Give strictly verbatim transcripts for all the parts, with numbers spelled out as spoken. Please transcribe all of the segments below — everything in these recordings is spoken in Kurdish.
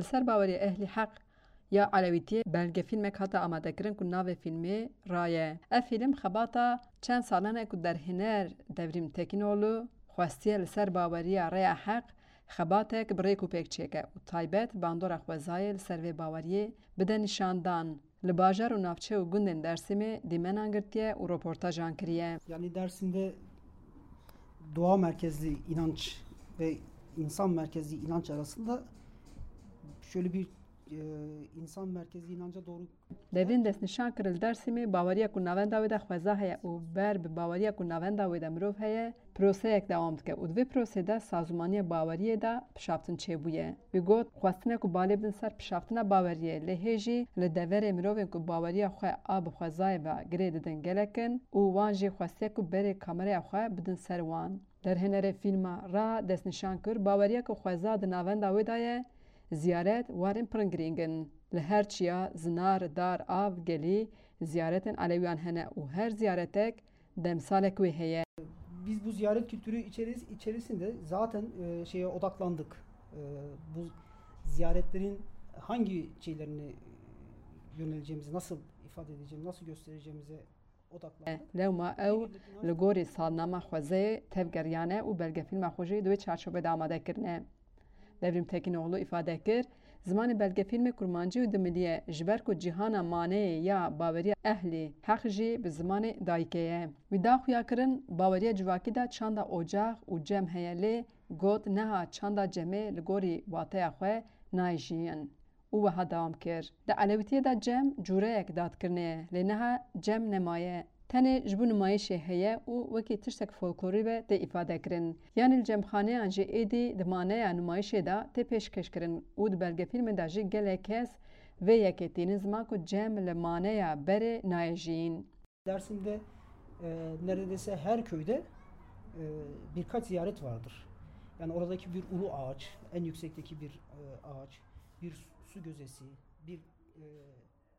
Li ser baweriya Ehlî Heq ya Elewîtiyê belgefîlmek hate amadekirin ku navê fîlmê Ra ye. Ev fîlm xebata çend salan e ku derhêner Devrîm Tekînoğlu xwestiye li ser baweriya Rêya Heq xebatek bi rêk û pêk çêke û taybet bandora xwezayê li ser vê baweriyê bide nîşandan. Li bajar û navçe û gundên Dersimê dîmenan girtiye û roportajan kiriye. Yani Dersim'de doğa merkezli inanç ve insan merkezli inanç arasında şöyle bir e, insan merkezli inanca doğru Devîn destnîşan kir li Dersimê baweriya ku navenda wê de xweza heye û ber bi baweriya ku navenda wê de mirov heye, proseyek dewam dike û di vê prosê de sazûmaniya baweriyê de pişaftin çêbûye. Wî got, xwestine ku balê bidin ser pişaftina baweriyê, lê hê jî li deverê mirovên ku baweriya xwe a bi xwezayê ve girê didin gelek in û wan jî xwestiye ku berê kameraya xwe bidin ser wan. Derhênerê fîlma Ra destnîşan kir, baweriya ku xweza di navenda wê de ye, ziyaret warên pir girîng in. Li her çiya, zinar, dar, av, gelî, ziyaretên Elewiyan hene û her ziyaretek demsalek wê heye. Biz bu ziyaret kültürü içeris- içerisinde zaten e, şeye odaklandık. E, bu ziyaretlerin hangi şeylerini yöneleceğimizi, nasıl ifade edeceğimizi, nasıl göstereceğimize odaklandık. Lewma ew li gorî salnama xwezayê tevgeriyane û belgefîlma xwe jî di wê çarçovê de amade kirine. Devrîm Tekînoğlu îfade kir, zimanê belgefîlmê kurmancî û dimilî ye, ji ber ku cîhana maneyê ya baweriya Ehlî Heq jî bi zimanê dayikê ye. Wî da xuya kirin, baweriya civakî de çanda ocax û cem heye, lê got, neha çanda cemê li gorî wateya xwe nayê jiyîn. Û wiha dewam kir, di Elewîtiyê de cem cûreyek dadkirinê ye, lê niha cem nemaye. Tenê ji bo nimayîşê heye û wekî tiştek folklorî ve tê îfade kirin. Yanî li cemxaneyan jî êdî di maneya nimayîşê de tê pêşkêş kirin û di belgefîlmê de jî gelek kes vê yekê tînin ziman ku cem li maneya berê nayê jiyîn. Dersim'de e, neredeyse her köyde e, birkaç ziyaret vardır. Yani oradaki bir ulu ağaç, en yüksekteki bir e, ağaç, bir su gözesi, bir e,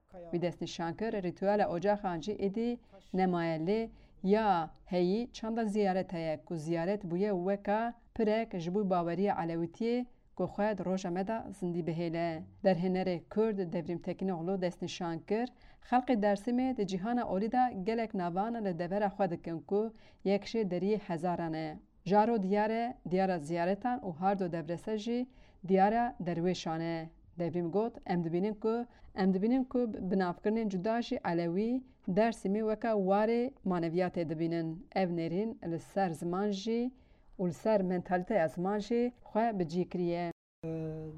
kaya. Wî destnîşan kir, rîtuela ocaxan jî êdî nemaye, lê ya heyî çanda ziyaret heye ku ziyaret bûye weka pirek ji bo baweriya Elewîtiyê ku xwe di roja me de zindî bihêle. Derhênerê Kurd Devrîm Tekînoğlu destnîşan kir, xelkê Dersimê di cîhana olî de gelek navan li devera xwe dikin ku yek jê deriyê hezaran e. Jaro diyar e, diyara ziyaretan û Hardo Devrese jî diyara derwêşan e. Devrîm got, em dibînin ku, em dibînin ku bi navkirinên cuda jî Elewî, Dersimî weke warê maneviyatê dibînin. Ev nêrîn li ser ziman jî û li ser mentalîteya ziman jî xwe bi cî kiriye.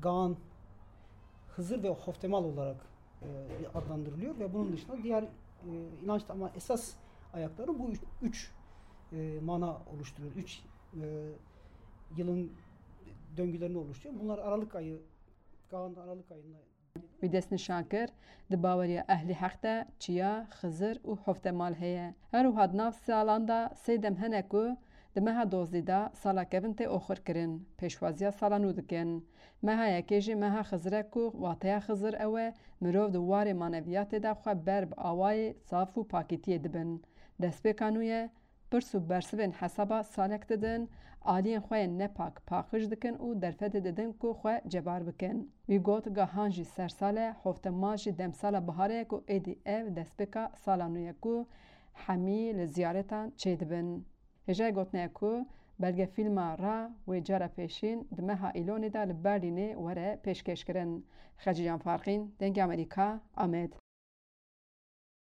Kaan, Hızır ve Hoftemal olarak e, adlandırılıyor ve bunun dışında diğer e, inanç ama esas ayakları bu üç, üç e, mana oluşturuyor. Üç e, yılın döngülerini oluşturuyor. Bunlar Aralık ayı, Kaan Aralık ayında Wî destnîşan kir, di baweriya Ehlî Heq de çiya, Xizir û Hoftemal heye. Her wiha di nav salan de sê dem hene ku di meha dozdî de sala kevin tê oxirkirin, pêşwaziya sala nû dikin. Meha yekê jî meha Xizir e ku wateya Xizir ew e, mirov di warê maneviyatê de xwe ber bi awayê saf û pakîtiyê dibin. Destpêka nû ye, pirs û bersivên hesaba salek didin, aliyên xwe yên nepak paqij dikin û derfetê didin ku xwe cebar bikin. Wî got, gahan jî sersal e, Hoftemal jî demsala biharê ye ku êdî ev destpêka sala nû ye ku hemî li ziyaretan çêdibin. Hêjayê gotinê ye ku belgefîlma Ra wê cara pêşîn di meha Îlonê de li Berlînê were pêşkêşkirin. Xecîcan Farqîn, Dengê Amerîka, Amed.